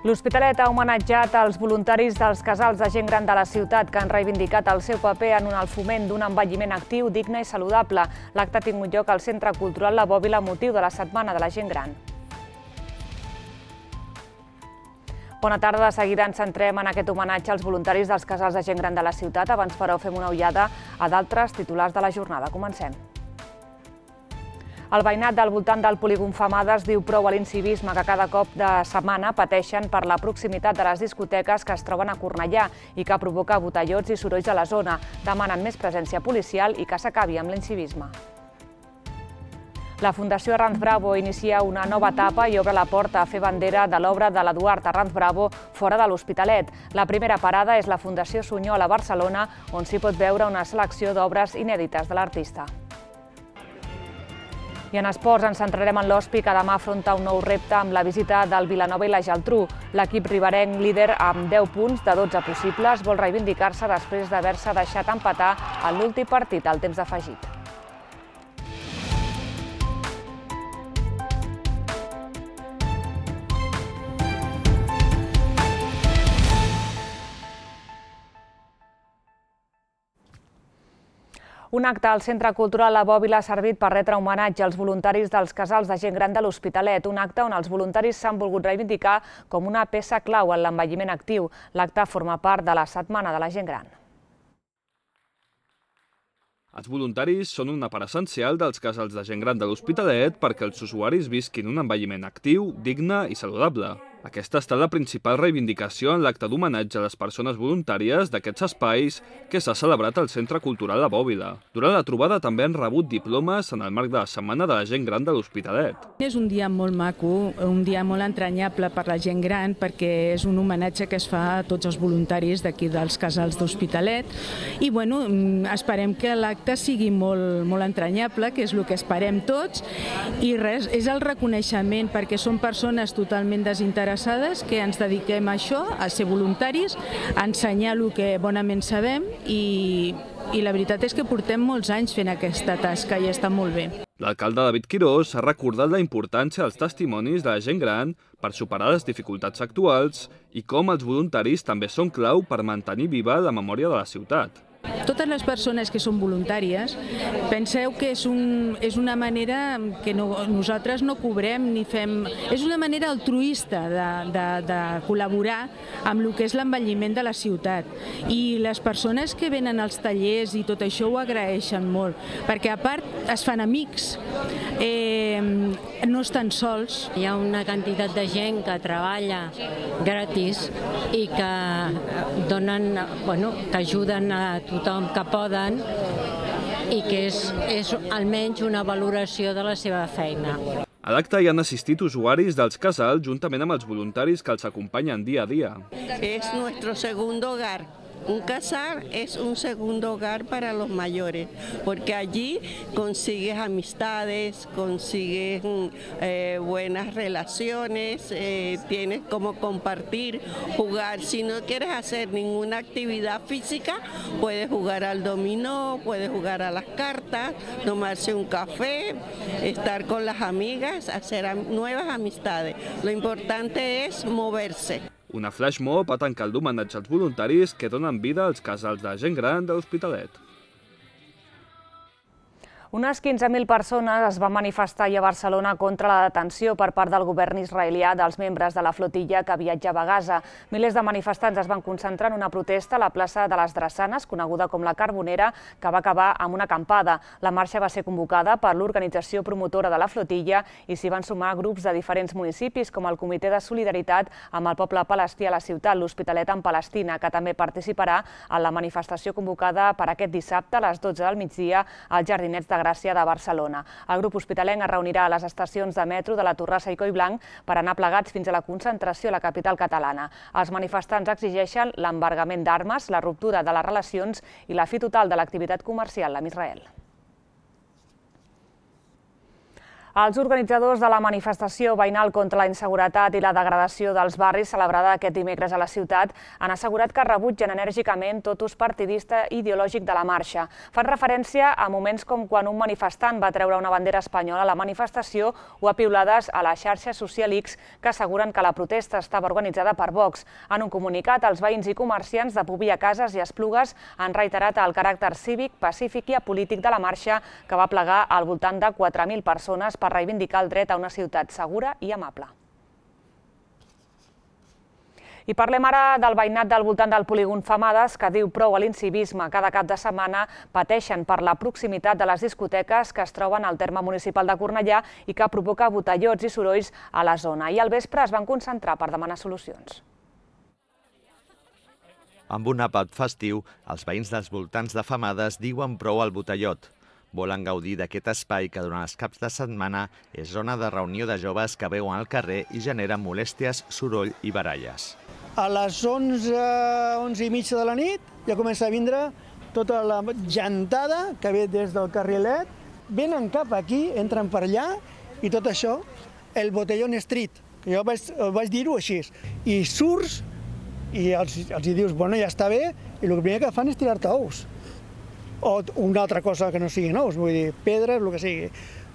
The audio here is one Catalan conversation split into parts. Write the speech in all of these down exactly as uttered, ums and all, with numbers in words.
L'Hospitalet ha homenatjat els voluntaris dels casals de gent gran de la ciutat que han reivindicat el seu paper en el foment d'un envelliment actiu, digne i saludable. L'acte ha tingut lloc al Centre Cultural La Bòbila amb motiu de la Setmana de la Gent Gran. Bona tarda. De seguida ens centrem en aquest homenatge als voluntaris dels casals de gent gran de la ciutat. Abans, però, fem una ullada a d'altres titulars de la jornada. Comencem. El veïnat del voltant del polígon Femades diu prou a l'incivisme que cada cop de setmana pateixen per la proximitat de les discoteques que es troben a Cornellà i que provoca botellots i sorolls a la zona. Demanen més presència policial i que s'acabi amb l'incivisme. La Fundació Arranz Bravo inicia una nova etapa i obre la porta a fer bandera de l'obra de l'Eduard Arranz Bravo fora de l'Hospitalet. La primera parada és la Fundació Sunyol a Barcelona, on s'hi pot veure una selecció d'obres inèdites de l'artista. I en esports ens centrarem en l'Hospi, que demà afronta un nou repte amb la visita del Vilanova i la Geltrú. L'equip riberenc, líder amb deu punts de dotze possibles, vol reivindicar-se després d'haver-se deixat empatar en l'últim partit al temps afegit. Un acte al Centre Cultural La Bòbila ha servit per retre homenatge als voluntaris dels casals de gent gran de l'Hospitalet, un acte on els voluntaris s'han volgut reivindicar com una peça clau en l'envelliment actiu. L'acte forma part de la Setmana de la Gent Gran. Els voluntaris són una part essencial dels casals de gent gran de l'Hospitalet perquè els usuaris visquin un envelliment actiu, digne i saludable. Aquesta ha estat la principal reivindicació en l'acte d'homenatge a les persones voluntàries d'aquests espais que s'ha celebrat al Centre Cultural La Bòbila. Durant la trobada també han rebut diplomes en el marc de la Setmana de la Gent Gran de l'Hospitalet. És un dia molt maco, un dia molt entranyable per la gent gran perquè és un homenatge que es fa a tots els voluntaris d'aquí dels casals d'Hospitalet i bueno, esperem que l'acte sigui molt, molt entranyable, que és el que esperem tots i res, és el reconeixement perquè són persones totalment desinteressades que ens dediquem a això, a ser voluntaris, a ensenyar el que bonament sabem i, i la veritat és que portem molts anys fent aquesta tasca i està molt bé. L'alcalde David Quirós ha recordat la importància dels testimonis de la gent gran per superar les dificultats actuals i com els voluntaris també són clau per mantenir viva la memòria de la ciutat. Totes les persones que són voluntàries, penseu que és, un, és una manera que no, nosaltres no cobrem ni fem... És una manera altruista de, de, de col·laborar amb el que és l'envelliment de la ciutat. I les persones que venen als tallers i tot això ho agraeixen molt, perquè a part es fan amics, eh, no estan sols. Hi ha una quantitat de gent que treballa gratis i que donen, bueno, que ajuden a tothom que poden i que és, és almenys una valoració de la seva feina. A l'acte hi han assistit usuaris dels casals juntament amb els voluntaris que els acompanyen dia a dia. És nuestro segundo hogar. Un casal es un segundo hogar para los mayores, porque allí consigues amistades, consigues eh, buenas relaciones, eh, tienes como compartir, jugar. Si no quieres hacer ninguna actividad física, puedes jugar al dominó, puedes jugar a las cartas, tomarse un café, estar con las amigas, hacer nuevas amistades. Lo importante es moverse. Una flash mob ha tancat l'homenatge als voluntaris que donen vida als casals de gent gran de l'Hospitalet. Unes quinze mil persones es van manifestar a Barcelona contra la detenció per part del govern israelià dels membres de la flotilla que viatjava a Gaza. Milers de manifestants es van concentrar en una protesta a la plaça de les Drassanes, coneguda com la Carbonera, que va acabar amb una acampada. La marxa va ser convocada per l'organització promotora de la flotilla i s'hi van sumar grups de diferents municipis, com el Comitè de Solidaritat amb el poble palestí a la ciutat, l'Hospitalet en Palestina, que també participarà en la manifestació convocada per aquest dissabte a les dotze del migdia als Jardinets de Gràcia de Barcelona. El grup hospitalenc es reunirà a les estacions de metro de la Torrassa i Collblanc per anar plegats fins a la concentració a la capital catalana. Els manifestants exigeixen l'embargament d'armes, la ruptura de les relacions i la fi total de l'activitat comercial amb Israel. Els organitzadors de la manifestació veïnal contra la inseguretat i la degradació dels barris celebrada aquest dimecres a la ciutat han assegurat que rebutgen enèrgicament tot ús partidista i ideològic de la marxa. Fan referència a moments com quan un manifestant va treure una bandera espanyola a la manifestació o a piulades a la xarxa social X que asseguren que la protesta estava organitzada per Vox. En un comunicat, els veïns i comerciants de Pobilla, Cases i Esplugues han reiterat el caràcter cívic, pacífic i apolític de la marxa que va plegar al voltant de quatre mil persones per reivindicar el dret a una ciutat segura i amable. I parlem ara del veïnat del voltant del polígon Femades, que diu prou a l'incivisme. Cada cap de setmana pateixen per la proximitat de les discoteques que es troben al terme municipal de Cornellà i que provoca botellots i sorolls a la zona. I al vespre es van concentrar per demanar solucions. Amb un àpat festiu, els veïns dels voltants de Femades diuen prou al botellot. Volen gaudir d'aquest espai que durant els caps de setmana és zona de reunió de joves que veuen al carrer i generen molèsties, soroll i baralles. A les onze, onze i mitja de la nit ja comença a vindre tota la gentada que ve des del carrilet, venen cap aquí, entren per allà i tot això, el botellón street, jo vaig, vaig dir-ho així, i surts i els, els hi dius, bueno, ja està bé, i el primer que fan és tirar-te ous. O una altra cosa que no sigui nous, vull dir, pedres, el que sigui.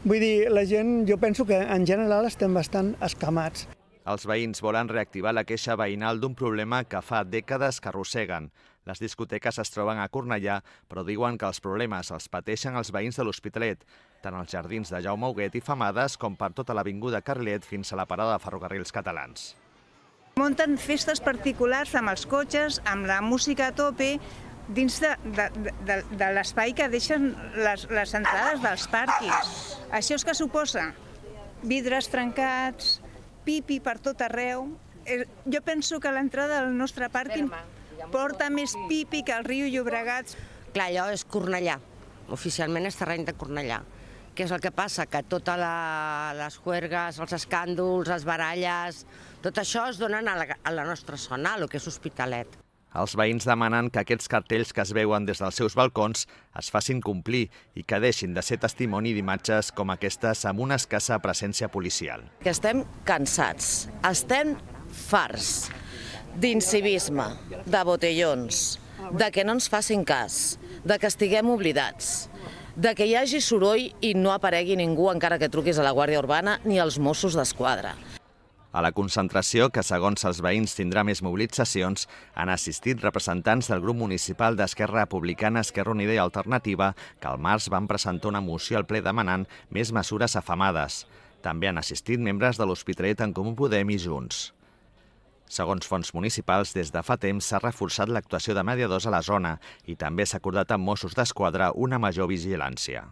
Vull dir, la gent, jo penso que en general estem bastant escamats. Els veïns volen reactivar la queixa veïnal d'un problema que fa dècades que arrosseguen. Les discoteques es troben a Cornellà, però diuen que els problemes els pateixen els veïns de l'Hospitalet, tant als jardins de Jaume Huguet i Femades com per tota l'avinguda Carrilet fins a la parada de ferrocarrils catalans. Munten festes particulars amb els cotxes, amb la música a tope, dins de, de, de, de l'espai que deixen les, les entrades dels pàrquings. Això és que suposa vidres trencats, pipi per tot arreu. Jo penso que l'entrada del nostre pàrquing porta més pipi que el riu Llobregat. Clar, allò és Cornellà, oficialment és terreny de Cornellà. Què és el que passa? Que totes les juergues, els escàndols, les baralles, tot això es donen a la, a la nostra zona, a lo que és Hospitalet. Els veïns demanen que aquests cartells que es veuen des dels seus balcons es facin complir i que deixin de ser testimoni d'imatges com aquestes amb una escassa presència policial. Que estem cansats, estem farts d'incivisme, de botellons, de que no ens facin cas, de que estiguem oblidats, de que hi hagi soroll i no aparegui ningú encara que truquis a la Guàrdia Urbana ni als Mossos d'Esquadra. A la concentració, que segons els veïns tindrà més mobilitzacions, han assistit representants del grup municipal d'Esquerra Republicana, Esquerra Unida i Alternativa, que al març van presentar una moció al ple demanant més mesures afamades. També han assistit membres de l'Hospitalet, En Comú Podem i Junts. Segons fonts municipals, des de fa temps s'ha reforçat l'actuació de mediadors a la zona i també s'ha acordat amb Mossos d'Esquadra una major vigilància.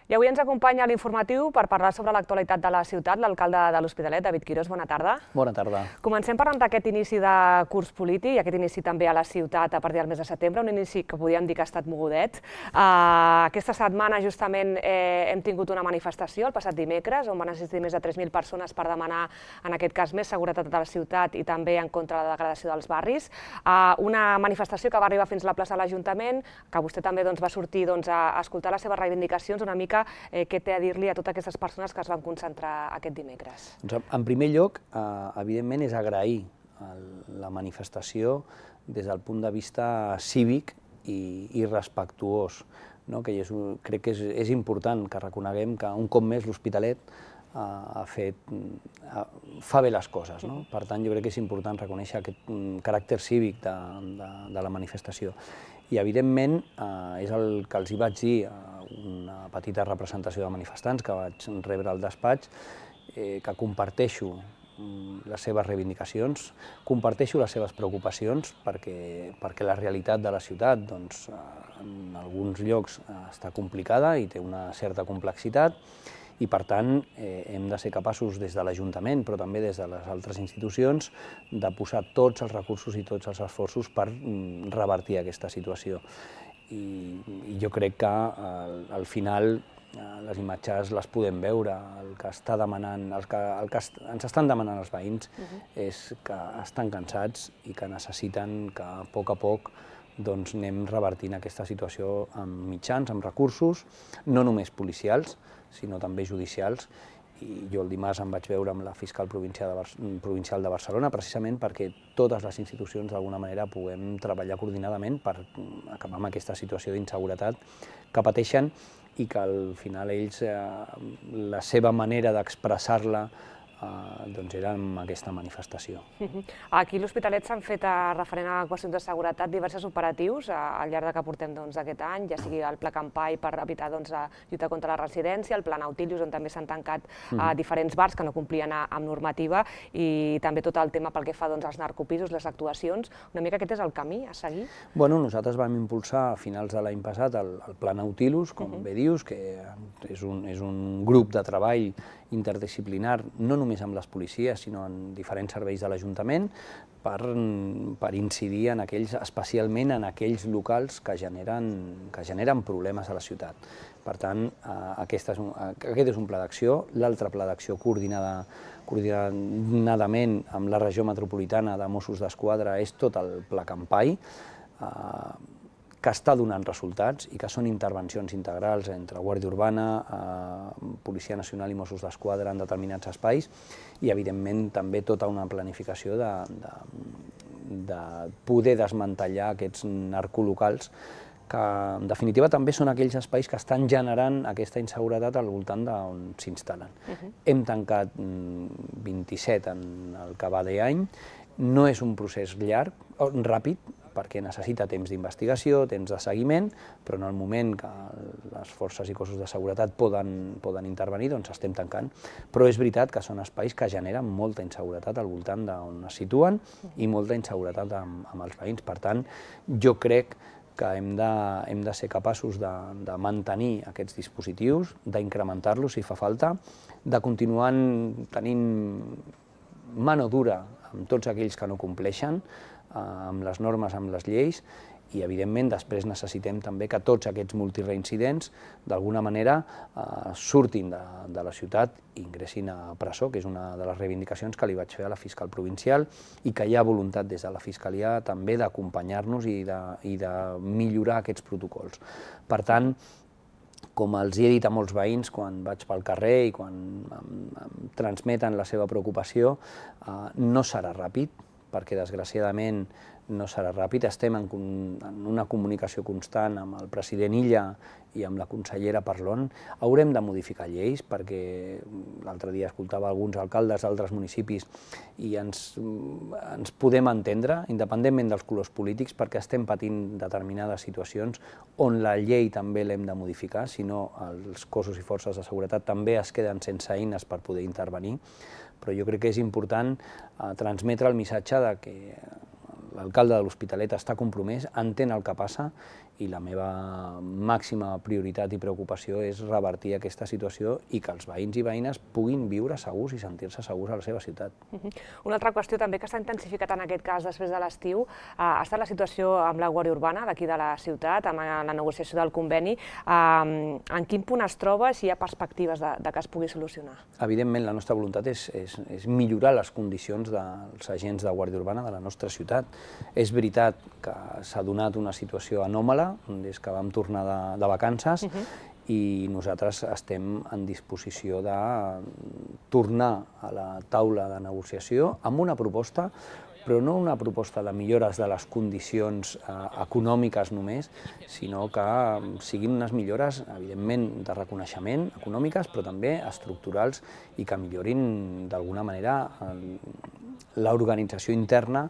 I avui ens acompanya a l'informatiu per parlar sobre l'actualitat de la ciutat l'alcalde de l'Hospitalet, David Quirós. Bona tarda. Bona tarda. Comencem parlant d'aquest inici de curs polític i aquest inici també a la ciutat a partir del mes de setembre, un inici que podríem dir que ha estat mogudet. Uh, aquesta setmana justament eh, hem tingut una manifestació el passat dimecres on van assistir més de tres mil persones per demanar, en aquest cas, més seguretat a la ciutat i també en contra de la degradació dels barris. Uh, una manifestació que va arribar fins a la plaça de l'Ajuntament, que vostè també doncs, va sortir doncs, a escoltar les seves reivindicacions, una mica Eh, què té a dir-li a totes aquestes persones que es van concentrar aquest dimecres? Doncs, en primer lloc, eh, evidentment, és agrair la manifestació des del punt de vista cívic i, i respectuós, no? Que és, crec que és, és important que reconeguem que un cop més l'Hospitalet eh, ha fet, eh, fa bé les coses, no? Per tant, jo crec que és important reconèixer aquest um, caràcter cívic de, de, de la manifestació. I, evidentment, eh, és el que els hi vaig dir a una petita representació de manifestants que vaig rebre al despatx, eh, que comparteixo les seves reivindicacions, comparteixo les seves preocupacions perquè, perquè la realitat de la ciutat doncs, en alguns llocs està complicada i té una certa complexitat i, per tant, eh, hem de ser capaços des de l'Ajuntament, però també des de les altres institucions, de posar tots els recursos i tots els esforços per mm, revertir aquesta situació. I, i jo crec que al, al final eh, les imatges les podem veure. El que, està demanant, el que, el que est, ens estan demanant els veïns uh-huh. és que estan cansats i que necessiten que a poc a poc doncs anem revertint aquesta situació amb mitjans, amb recursos, no només policials, sinó també judicials. I jo el dimarts em vaig veure amb la fiscal provincial de, Bar provincial de Barcelona precisament perquè totes les institucions d'alguna manera puguem treballar coordinadament per acabar amb aquesta situació d'inseguretat que pateixen i que al final ells, eh, la seva manera d'expressar-la Uh, doncs era amb aquesta manifestació. Aquí a l'Hospitalet s'han fet, uh, referent a qüestions de seguretat, diversos operatius uh, al llarg de que portem doncs, aquest any, ja sigui el Pla Campai per evitar doncs, la lluita contra la residència, el Pla Nautilus, on també s'han tancat uh, diferents bars que no complien uh, amb normativa, i també tot el tema pel que fa doncs, als narcopisos, les actuacions. Una mica aquest és el camí a seguir? Bueno, nosaltres vam impulsar a finals de l'any passat el, el Pla Nautilus, com uh -huh. bé dius, que és un, és un grup de treball interdisciplinar, no només amb les policies, sinó en diferents serveis de l'Ajuntament, per, per incidir en aquells, especialment en aquells locals que generen, que generen problemes a la ciutat. Per tant, aquest és un, aquest és un pla d'acció. L'altre pla d'acció coordinada, coordinadament amb la regió metropolitana de Mossos d'Esquadra és tot el Pla Campai, que està donant resultats i que són intervencions integrals entre Guàrdia Urbana, eh, Policia Nacional i Mossos d'Esquadra en determinats espais i, evidentment, també tota una planificació de, de, de poder desmantellar aquests narcolocals que, en definitiva, també són aquells espais que estan generant aquesta inseguretat al voltant d'on s'instal·len. Uh-huh. Hem tancat vint-i-set en el que va d'any. No és un procés llarg, ràpid, perquè necessita temps d'investigació, temps de seguiment, però en el moment que les forces i cossos de seguretat poden, poden intervenir, doncs estem tancant. Però és veritat que són espais que generen molta inseguretat al voltant d'on es situen i molta inseguretat amb, amb els veïns. Per tant, jo crec que hem de, hem de ser capaços de, de mantenir aquests dispositius, d'incrementar-los si fa falta, de continuar tenint mano dura amb tots aquells que no compleixen, amb les normes, amb les lleis, i evidentment després necessitem també que tots aquests multireincidents d'alguna manera eh, surtin de, de la ciutat i ingressin a presó, que és una de les reivindicacions que li vaig fer a la fiscal provincial i que hi ha voluntat des de la Fiscalia també d'acompanyar-nos i, de, i de millorar aquests protocols. Per tant, com els he dit a molts veïns quan vaig pel carrer i quan em, em transmeten la seva preocupació, eh, no serà ràpid, perquè desgraciadament no serà ràpid. Estem en, en una comunicació constant amb el president Illa i amb la consellera Parlon. Haurem de modificar lleis perquè l'altre dia escoltava alguns alcaldes d'altres municipis i ens, ens podem entendre, independentment dels colors polítics, perquè estem patint determinades situacions on la llei també l'hem de modificar, si no els cossos i forces de seguretat també es queden sense eines per poder intervenir. Però jo crec que és important eh, transmetre el missatge de que l'alcalde de l'Hospitalet està compromès, entén el que passa i la meva màxima prioritat i preocupació és revertir aquesta situació i que els veïns i veïnes puguin viure segurs i sentir-se segurs a la seva ciutat. Uh-huh. Una altra qüestió també que s'ha intensificat en aquest cas després de l'estiu ha estat la situació amb la Guàrdia Urbana d'aquí de la ciutat, amb la negociació del conveni. En quin punt es troba, si hi ha perspectives de, de que es pugui solucionar? Evidentment, la nostra voluntat és, és, és millorar les condicions dels agents de Guàrdia Urbana de la nostra ciutat. És veritat que s'ha donat una situació anòmala des que vam tornar de, de vacances uh-huh. i nosaltres estem en disposició de tornar a la taula de negociació amb una proposta, però no una proposta de millores de les condicions eh, econòmiques només, sinó que siguin unes millores, evidentment, de reconeixement econòmiques, però també estructurals i que millorin d'alguna manera l'organització interna.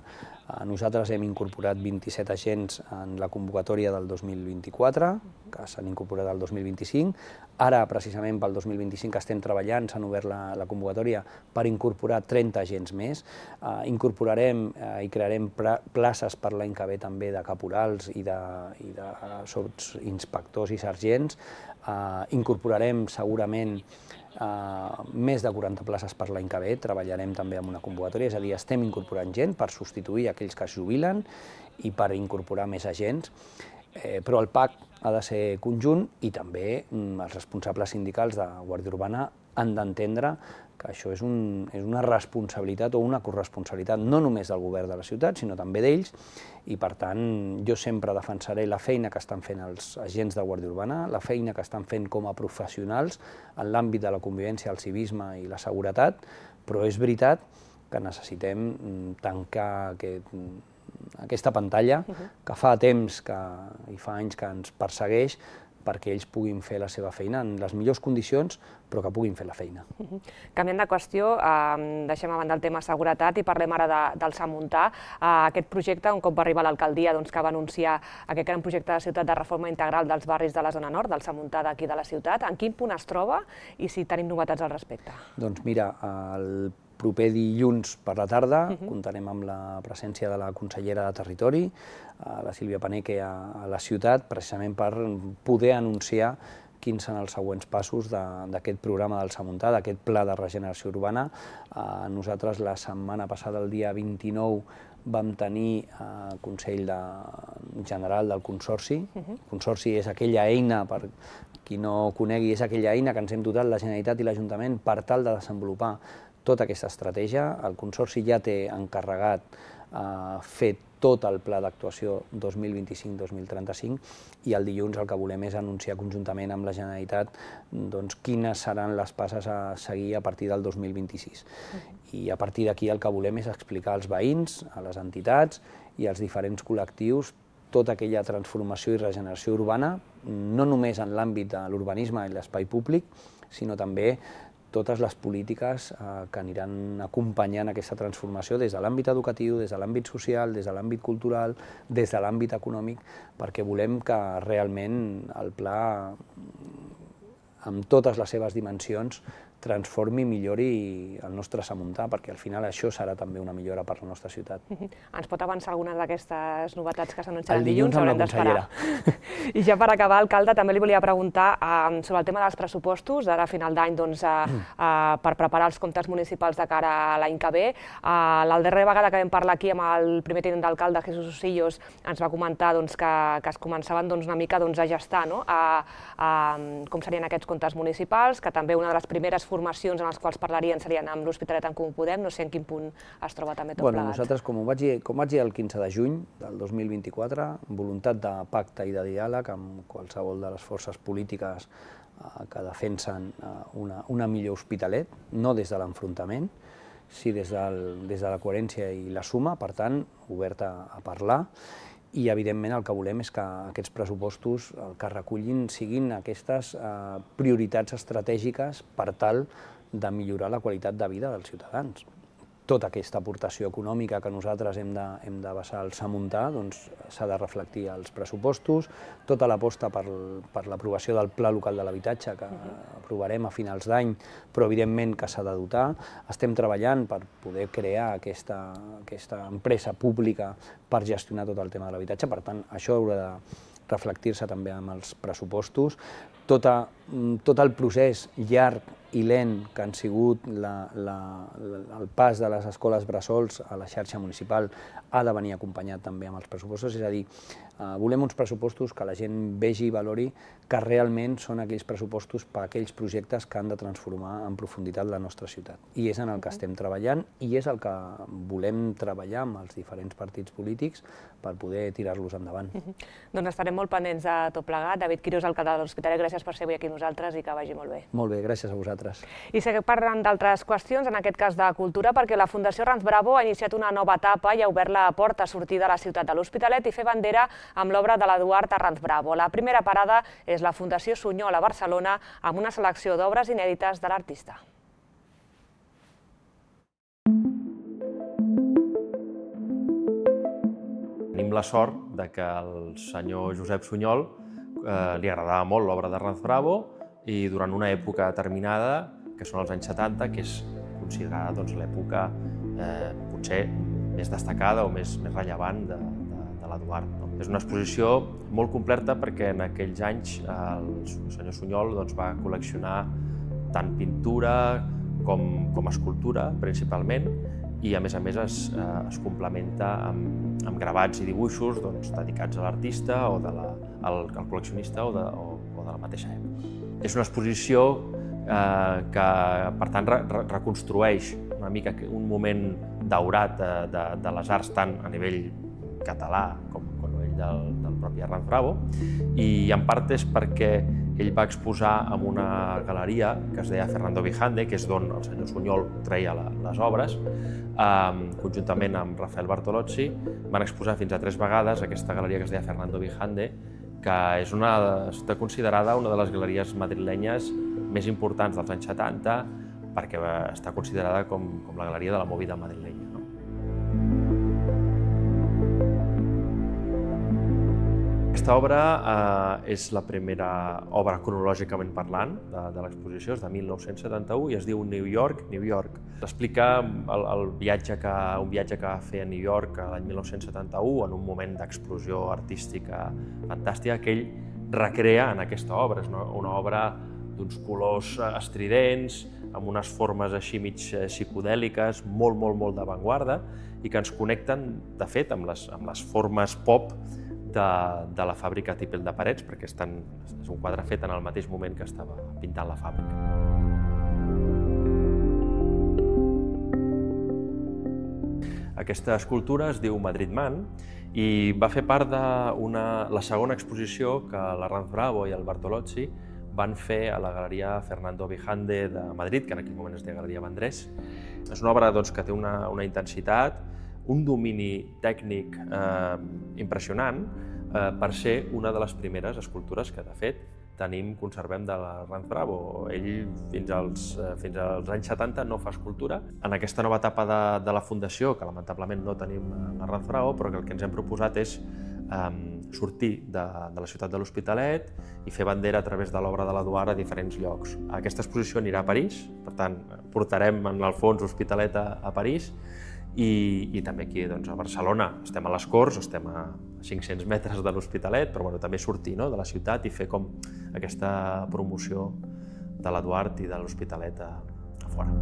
Nosaltres hem incorporat vint-i-set agents en la convocatòria del dos mil vint-i-quatre, que s'han incorporat el dos mil vint-i-cinc. Ara, precisament pel dos mil vint-i-cinc, estem treballant, s'han obert la, la convocatòria per incorporar trenta agents més. Uh, incorporarem uh, i crearem places per l'any que ve també de caporals i de, i de sotsinspectors i sergents. Uh, incorporarem segurament Uh, més de quaranta places per l'any que ve, treballarem també amb una convocatòria, és a dir, estem incorporant gent per substituir aquells que es jubilen i per incorporar més agents. Però el pacte ha de ser conjunt i també els responsables sindicals de Guàrdia Urbana han d'entendre que això és una responsabilitat o una corresponsabilitat no només del govern de la ciutat, sinó també d'ells, i per tant jo sempre defensaré la feina que estan fent els agents de Guàrdia Urbana, la feina que estan fent com a professionals en l'àmbit de la convivència, el civisme i la seguretat, però és veritat que necessitem tancar aquest aquesta pantalla que fa temps i fa anys que ens persegueix perquè ells puguin fer la seva feina en les millors condicions, però que puguin fer la feina. Canviant de qüestió, deixem a banda el tema seguretat i parlem ara del Samuntà. Aquest projecte, un cop va arribar a l'alcaldia, que va anunciar aquest gran projecte de ciutat de reforma integral dels barris de la zona nord, del Samuntà d'aquí de la ciutat, en quin punt es troba i si tenim novetats al respecte? Doncs mira, el proper dilluns per la tarda comptarem amb la presència de la consellera de Territori, la Sílvia Paneque, a la ciutat, precisament per poder anunciar quins són els següents passos d'aquest programa del Samuntà, d'aquest pla de regeneració urbana. Nosaltres la setmana passada, el dia vint-i-nou, vam tenir el Consell General del Consorci. El Consorci és aquella eina, per qui no conegui, és aquella eina que ens hem dotat la Generalitat i l'Ajuntament per tal de desenvolupar tota aquesta estratègia. El Consorci ja té encarregat fer tot el pla d'actuació dos mil vint-i-cinc dos mil trenta-cinc i el dilluns el que volem és anunciar conjuntament amb la Generalitat quines seran les passes a seguir a partir del dos mil vint-i-sis. I a partir d'aquí el que volem és explicar als veïns, a les entitats i als diferents col·lectius tota aquella transformació i regeneració urbana, no només en l'àmbit de l'urbanisme i l'espai públic, sinó també totes les polítiques que aniran acompanyant aquesta transformació des de l'àmbit educatiu, des de l'àmbit social, des de l'àmbit cultural, des de l'àmbit econòmic, perquè volem que realment el pla, amb totes les seves dimensions, transformi i millori el nostre Samuntà, perquè al final això serà també una millora per la nostra ciutat. Ens pot avançar algunes d'aquestes novetats que s'anunciaran el dilluns? Haurem d'esperar. I ja per acabar, alcalde, també li volia preguntar sobre el tema dels pressupostos, ara a final d'any, per preparar els comptes municipals de cara a l'any que ve. La darrera vegada que vam parlar aquí amb el primer tinent d'alcalde, Jesús Osillos, ens va comentar que es començaven una mica a gestar com serien aquests comptes municipals, que també una de les primeres formacions en les quals parlarien serien amb l'Hospitalet en Comú Podem, no sé en quin punt es troba també tot plegat. Nosaltres, com vaig dir el quinze de juny del dos mil vint-i-quatre, voluntat de pacte i de diàleg amb qualsevol de les forces polítiques que defensen una millor Hospitalet, no des de l'enfrontament, sí des de la coherència i la suma, per tant, oberta a parlar. I, evidentment, el que volem és que aquests pressupostos el que recullin siguin aquestes prioritats estratègiques per tal de millorar la qualitat de vida dels ciutadans. Tota aquesta aportació econòmica que nosaltres hem de basar al Samuntà s'ha de reflectir als pressupostos, tota l'aposta per l'aprovació del Pla Local de l'Habitatge que aprovarem a finals d'any, però evidentment que s'ha de dotar. Estem treballant per poder crear aquesta empresa pública per gestionar tot el tema de l'habitatge, per tant, això haurà de reflectir-se també amb els pressupostos. Tot el procés llarg i lent que han sigut el pas de les escoles bressols a la xarxa municipal ha de venir acompanyat també amb els pressupostos, és a dir, volem uns pressupostos que la gent vegi i valori que realment són aquells pressupostos per a aquells projectes que han de transformar en profunditat la nostra ciutat. I és en el que estem treballant i és el que volem treballar amb els diferents partits polítics per poder tirar-los endavant. Doncs estarem molt pendents de tot plegat. David Quirós, alcalde de l'Hospitalet, gràcies per ser avui aquí amb nosaltres i que vagi molt bé. Molt bé, gràcies a vosaltres. I seguim parlant d'altres qüestions, en aquest cas de cultura, perquè la Fundació Ranz Bravo ha iniciat una nova etapa i ha obert la porta a sortir de la ciutat de l'Hospitalet i fer bandera amb l'obra de l'Eduard Ranz Bravo. La primera parada és la Fundació Sunyol a Barcelona amb una selecció d'obres inèdites de l'artista. Tenim la sort que al senyor Josep Sunyol li agradava molt l'obra de Ranz Bravo i durant una època determinada, que són els anys setanta, que és considerada l'època potser més destacada o més rellevant de l'Eduard. És una exposició molt completa perquè en aquells anys el senyor Sunyol va col·leccionar tant pintura com escultura, principalment, i a més a més es, eh, es complementa amb, amb gravats i dibuixos doncs, dedicats a l'artista o de la, al, al col·leccionista o de, o, o de la mateixa època. És una exposició eh, que, per tant, re, re, reconstrueix una mica un moment daurat de, de, de les arts tant a nivell català com, com a nivell del, del propi Arranz Bravo, i en part és perquè ell va exposar en una galeria que es deia Fernando Vijande, que és d'on el senyor Sunyol treia la, les obres, eh, conjuntament amb Rafael Bartolozzi, van exposar fins a tres vegades aquesta galeria que es deia Fernando Vijande, que és una, està considerada una de les galeries madrilenyes més importants dels anys setanta, perquè està considerada com, com la galeria de la movida madrilenya. No? Aquesta obra eh, és la primera obra cronològicament parlant de, de l'exposició, és de mil nou-cents setanta-u i es diu New York, New York. Explica el, el viatge que, un viatge que va fer a New York l'any mil nou-cents setanta-u en un moment d'explosió artística fantàstica que ell recrea en aquesta obra. És una, una obra d'uns colors estridents, amb unes formes així mig psicodèliques, molt, molt, molt d'avantguarda i que ens connecten, de fet, amb les, amb les formes pop de, de la fàbrica Tipel de Parets, perquè estan, és un quadre fet en el mateix moment que estava pintant la fàbrica. Aquesta escultura es diu Madrid Man i va fer part de una, la segona exposició que l'Arranz Bravo i el Bartolozzi van fer a la galeria Fernando Vijande de Madrid, que en aquell moment es deia Galeria Vendrés. És una obra doncs, que té una, una intensitat, un domini tècnic eh, impressionant eh, per ser una de les primeres escultures que, de fet, tenim, conservem de l'Arranz Bravo. Ell, fins als, eh, fins als anys setanta, no fa escultura. En aquesta nova etapa de, de la Fundació, que lamentablement no tenim l'Arranz Bravo, però que el que ens hem proposat és eh, sortir de, de la ciutat de l'Hospitalet i fer bandera a través de l'obra de l'Eduard a diferents llocs. Aquesta exposició anirà a París, per tant, portarem en el fons Hospitalet a, a París, i, i també aquí doncs, a Barcelona. Estem a les Corts, estem a cinc-cents metres de l'Hospitalet, però bueno, també sortir no, de la ciutat i fer com aquesta promoció de l'Eduard i de l'Hospitalet a, a fora.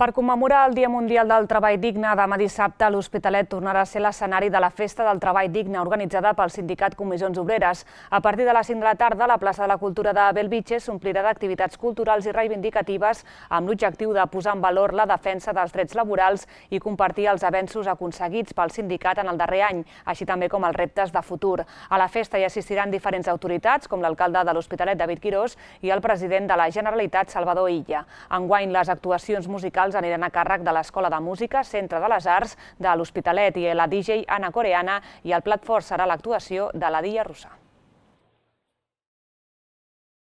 Per commemorar el Dia Mundial del Treball Digne, demà dissabte l'Hospitalet tornarà a ser l'escenari de la Festa del Treball Digne organitzada pel sindicat Comissions Obreres. A partir de les cinc de la tarda, la plaça de la Cultura de Bellvitge s'omplirà d'activitats culturals i reivindicatives amb l'objectiu de posar en valor la defensa dels drets laborals i compartir els avenços aconseguits pel sindicat en el darrer any, així també com els reptes de futur. A la festa hi assistiran diferents autoritats, com l'alcalde de l'Hospitalet, David Quirós, i el president de la Generalitat, Salvador Illa. Enguany, les actuacions musicals aniran a càrrec de l'Escola de Música, Centre de les Arts de l'Hospitalet i la D J Anna Coreana, i el plat fort serà l'actuació de la Dilla Russa.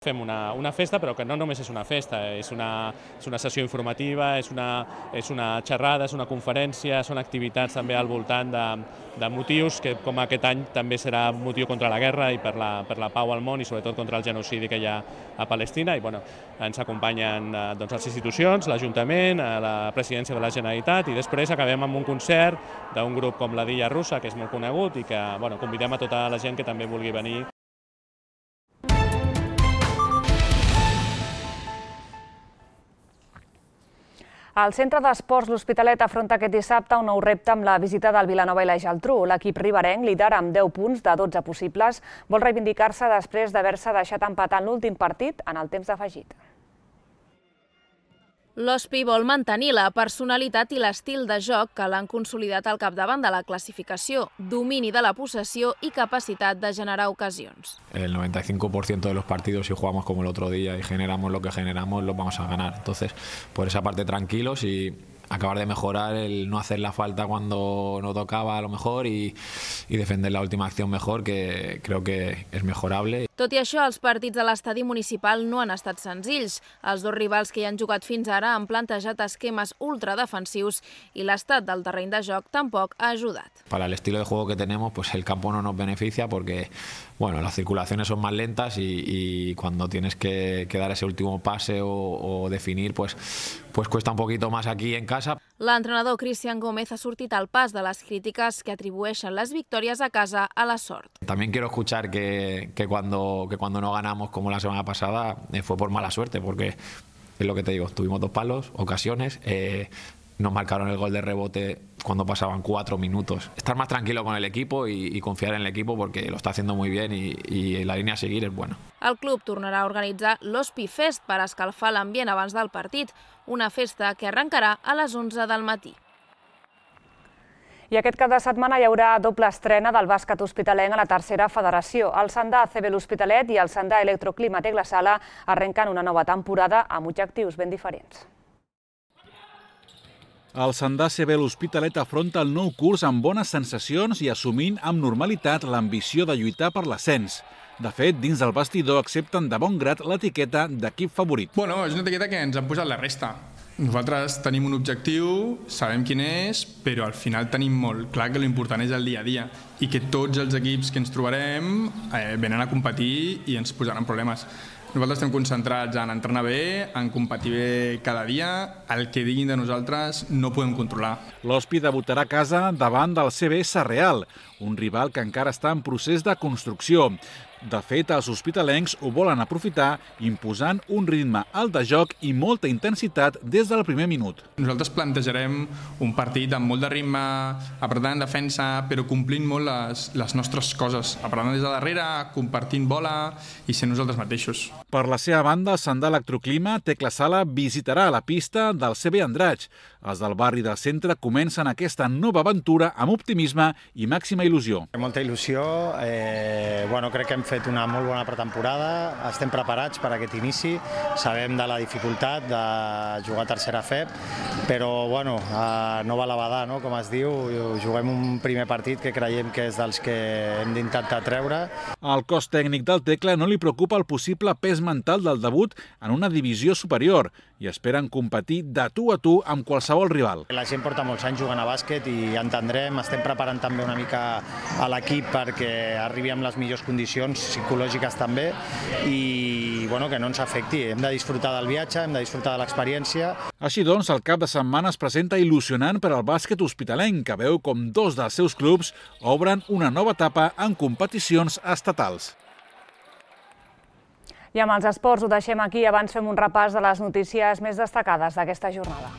Fem una, una festa, però que no només és una festa, és una, és una sessió informativa, és una, és una xerrada, és una conferència, són activitats també al voltant de, de motius que com aquest any també serà motiu contra la guerra i per la, per la pau al món i sobretot contra el genocidi que hi ha a Palestina. I bueno, ens acompanyen doncs, les institucions, l'Ajuntament, la Presidència de la Generalitat i després acabem amb un concert d'un grup com la Dilla Russa, que és molt conegut i que bueno, convidem a tota la gent que també vulgui venir. El Centre d'Esports L'Hospitalet afronta aquest dissabte un nou repte amb la visita del Vilanova i la Geltrú. L'equip riberenc, líder amb deu punts de dotze possibles, vol reivindicar-se després d'haver-se deixat empatar en l'últim partit en el temps d'afegit. L'Hospi vol mantenir la personalitat i l'estil de joc que l'han consolidat al capdavant de la classificació, domini de la possessió i capacitat de generar ocasions. El noventa y cinco por ciento de los partidos, si jugamos como el otro día y generamos lo que generamos, los vamos a ganar. Entonces, por esa parte tranquilos y acabar de mejorar el no hacer la falta cuando no tocaba a lo mejor y, y defender la última acción mejor, que creo que es mejorable. Tot i això, els partits de l'estadi municipal no han estat senzills. Els dos rivals que hi han jugat fins ara han plantejat esquemes ultradefensius i l'estat del terreny de joc tampoc ha ajudat. Para el estilo de juego que tenemos, pues el campo no nos beneficia porque bueno, las circulaciones son más lentas y, y cuando tienes que, que dar ese último pase o, o definir, pues, pues cuesta un poquito más aquí en casa. L'entrenador Cristian Gómez ha sortit al pas de les crítiques que atribueixen les victòries a casa a la sort. También quiero escuchar que, que, cuando, que cuando no ganamos como la semana pasada eh, fue por mala suerte, porque es lo que te digo, tuvimos dos palos, ocasiones, eh, nos marcaron el gol de rebote cuando pasaban cuatro minutos. Estar más tranquilo con el equipo y, y confiar en el equipo porque lo está haciendo muy bien y, y la línia a seguir es buena. El club tornarà a organitzar l'Hospi Fest per escalfar l'ambient abans del partit, una festa que arrencarà a les onze del matí. I aquest cap de setmana hi haurà doble estrena del bàsquet hospitalenc a la tercera federació. El Sandà A C B l'Hospitalet i el Sandà Electroclima Tec La Sala arrenquen una nova temporada amb objectius ben diferents. El Sandà A C B l'Hospitalet afronta el nou curs amb bones sensacions i assumint amb normalitat l'ambició de lluitar per l'ascens. De fet, dins del vestidor accepten de bon grat l'etiqueta d'equip favorit. Bueno, és una etiqueta que ens han posat la resta. Nosaltres tenim un objectiu, sabem quin és, però al final tenim molt clar que l'important és el dia a dia i que tots els equips que ens trobarem eh, venen a competir i ens posaran problemes. Nosaltres estem concentrats en entrenar bé, en competir bé cada dia, el que diguin de nosaltres no podem controlar. L'Hospi debutarà a casa davant del C B Sarreal, un rival que encara està en procés de construcció. De fet, els hospitalencs ho volen aprofitar imposant un ritme alt de joc i molta intensitat des del primer minut. Nosaltres plantejarem un partit amb molt de ritme, apretant en defensa, però complint molt les, les nostres coses. Apretant des de darrere, compartint bola i sent nosaltres mateixos. Per la seva banda, el Sandà Electroclima Tec La Sala visitarà la pista del C B Andratx. Els del barri del centre comencen aquesta nova aventura amb optimisme i màxima il·lusió. Molta il·lusió, eh, bueno, crec que hem fet una molt bona pretemporada, estem preparats per a aquest inici, sabem de la dificultat de jugar a tercera F E P, però bueno, eh, no va la badar, no? Com es diu, juguem un primer partit que creiem que és dels que hem d'intentar treure. Al cos tècnic del Tecla no li preocupa el possible pes mental del debut en una divisió superior i esperen competir de tu a tu amb qualsevol rival. La gent porta molts anys jugant a bàsquet i entendrem, estem preparant també una mica a l'equip perquè arribi amb les millors condicions psicològiques també i bueno, que no ens afecti. Hem de disfrutar del viatge, hem de disfrutar de l'experiència. Així doncs, el cap de setmana es presenta il·lusionant per al bàsquet hospitalenc, que veu com dos dels seus clubs obren una nova etapa en competicions estatals. I amb els esports ho deixem aquí, abans fem un repàs de les notícies més destacades d'aquesta jornada.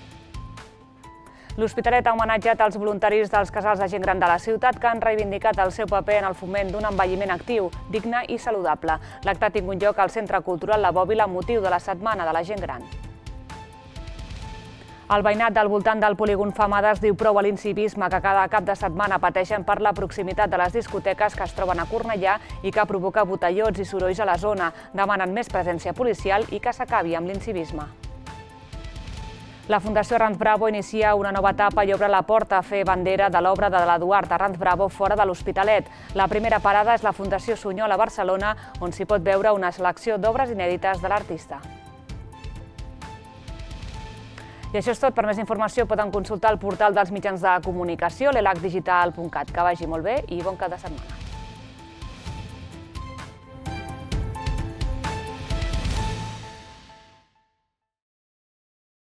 L'Hospitalet ha homenatjat els voluntaris dels casals de gent gran de la ciutat que han reivindicat el seu paper en el foment d'un envelliment actiu, digne i saludable. L'acte ha tingut lloc al Centre Cultural La Bòbila amb motiu de la Setmana de la Gent Gran. El veïnat del voltant del polígon Famades diu prou a l'incivisme que cada cap de setmana pateixen per la proximitat de les discoteques que es troben a Cornellà i que provoca botellots i sorolls a la zona. Demanen més presència policial i que s'acabi amb l'incivisme. La Fundació Ranz Bravo inicia una nova etapa i obre la porta a fer bandera de l'obra de l'Eduard de Ranz Bravo fora de l'Hospitalet. La primera parada és la Fundació Sunyol a Barcelona, on s'hi pot veure una selecció d'obres inèdites de l'artista. I això és tot. Per més informació poden consultar el portal dels mitjans de comunicació, l'elac digital punt cat. Que vagi molt bé i bon cap de setmana.